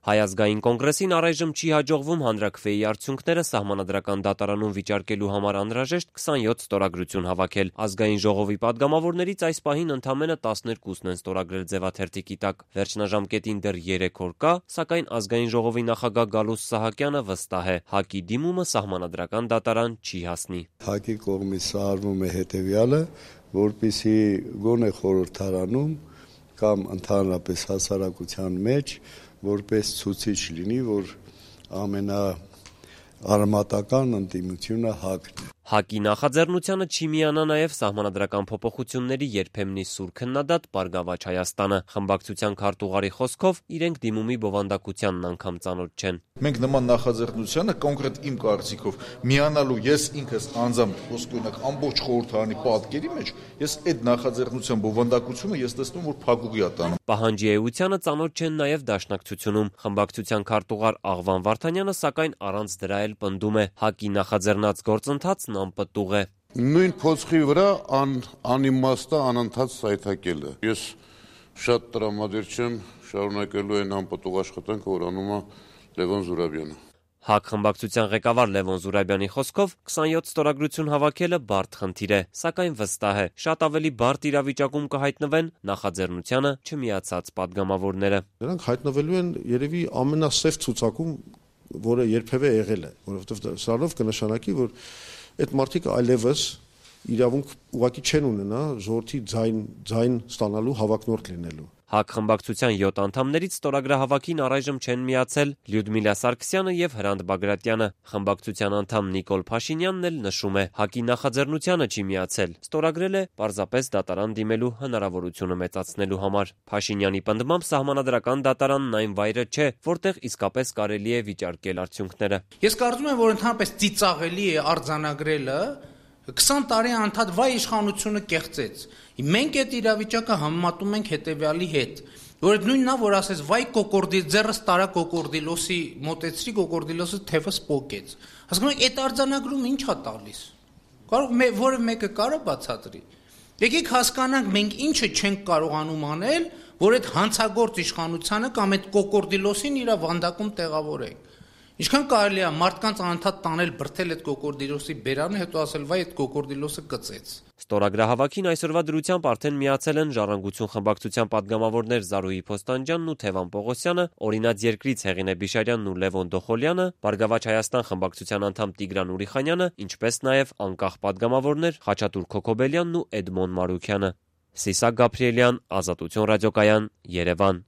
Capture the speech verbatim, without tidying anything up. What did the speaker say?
Հայ ազգային կոնգրեսին առայժմ չի հաջողվում հանրաքվեի արդյունքները սահմանադրական դատարանում վիճարկելու համար անհրաժեշտ քսանյոթ ստորագրություն հավաքել։ Ազգային ժողովի պատգամավորներից այս պահին ընդամենը տասներկուսն են ստորագրել ձևաթերթիկի տակ։ Վերջնաժամկետին դեռ երեք օր կա, սակայն ազգային ժողովի նախագահ Գալուստ Սահակյանը վստահ է՝ ՀԱԿ-ի դիմումը սահմանադրական դատարան չի հասնի։ ՀԱԿ-ի կողմից սարվում է հետևյալը, որպեսզի գոնե խորհրդարանում կամ ընդհանրապես հասարակության մեջ որպես ցուցիչ լինի, որ ամենաարմատական ընդդիմությունը ՀԱԿ-ն է։ ՀԱԿ-ի նախաձեռնությանը չի միանա նաև սահմանադրական փոփոխությունների երբեմնի սուր քննադատ Բարգավաճ Հայաստանը։ Խմբակցության քարտուղարի խոսքով իրենք դիմումի բովանդակությանն անգամ ծանոթ չեն։ Մենք նման նախաձեռնությանը կոնկրետ իմ կարծիքով միանալու ես ինքս անձամբ ոսկորինակ ամբողջ խորհրդարանի պատկերի մեջ ես այդ նախաձեռնության բովանդակությունը ես տեսնում որ փակուղի է տանում։ Պահանջի էությանը ծանոթ չեն նաև Դաշնակցությունում։ Խմբակցության քարտուղար Աղվան Վարդանյանը սակայն առանց դրա էլ պնդում է՝ ՀԱԿ-ի նախաձեռնած գործընթացն անպտուղ է։ Նույն փոცხի վրա ան, անիմաստ է անընդհատ սայթակելը։ Ես շատ տրամադիր չեմ շարունակելու այն անպտուղ աշխատանքը, որ անում է Լևոն Զուրաբյանը։ ՀԱԿ խմբակցության ղեկավար Լևոն Զուրաբյանի խոսքով քսանյոթ ստորագրություն հավաքելը բարդ խնդիր է, սակայն վստահ է՝ շատ ավելի բարդ իրավիճակում կհայտնվեն նախաձեռնությանը չմիացած պատգամավորները։ Նրանք հայտնվելու են երևի ամենասև ցուցակում, որը երբևէ եղել է, որովհետև սրանով կնշանակի, որ այդ մարդիկ այլևս իրավունք ուղղակի չեն ունենա ժողովրդի ձայն ձայն ստանալու հավակնորդ լինելու։ ՀԱԿ խմբակցության յոթ անդամներից ստորագրահավաքին առայժմ չեն միացել Լյուդմիլա Սարգսյանը եւ Հրանտ Բագրատյանը։ Խմբակցության անդամ Նիկոլ Փաշինյանն էլ նշում է՝ ՀԱԿ-ի նախաձեռնությանը չի միացել, ստորագրել է պարզապես դատարան դիմելու հնարավորությունը մեծացնելու համար։ Փաշինյանի պնդմամբ սահմանադրական դատարանն այն վայրը չէ, որտեղ իսկապես կարելի է վիճարկել արդյունքները։ Ես կարծում եմ, որ ընդհանրապես ծիծաղելի է արձանագրելը քսան տարի անդադ վայ իշխանությունը կեղծեց։ Մենք այդ իրավիճակը համեմատում ենք հետևյալի հետ, որ այդ նույնն է, որ ասես վայ կոկորդի ձեռս տարա կոկորդիլոսի մոտեցրի կոկորդիլոսը թևս պոկեց։ Հասկանում եք, այդ արձանագրումը ի՞նչ է տալիս։ Կարող որը մեկը կարա բացատրի։ Եկեք հասկանանք մենք ինչը չենք կարողանում անել, որ այդ հանցագործ իշխանությանը կամ այդ կոկորդիլոսին իր վանդակում տեղավորենք։ Ինչքան կարելի է մարդկանց անընդհատ տանել բրթել այդ կոկորդիլոսի բերանը, հետո ասել վայ այդ կոկորդիլոսը կծեց։ Ստորագրահավաքին այսօրվա դրությամբ արդեն միացել են Ժառանգություն խմբակցության պատգամավորներ Զարուհի Փոստանջյանն ու Թևան Պողոսյանը, Օրինաց երկրից Հեղինե Բիշարյանն ու Լևոն Դոխոլյանը, Բարգավաճ Հայաստան խմբակցության անդամ Տիգրան Ուրիխանյանը, ինչպես նաև անկախ պատգամավորներ Խաչատուր Քոքոբելյանն ու Էդմոն Մարուքյանը։ Սիսակ Գաբրիելյան, Ազատություն ռադիոկայան, Երևան։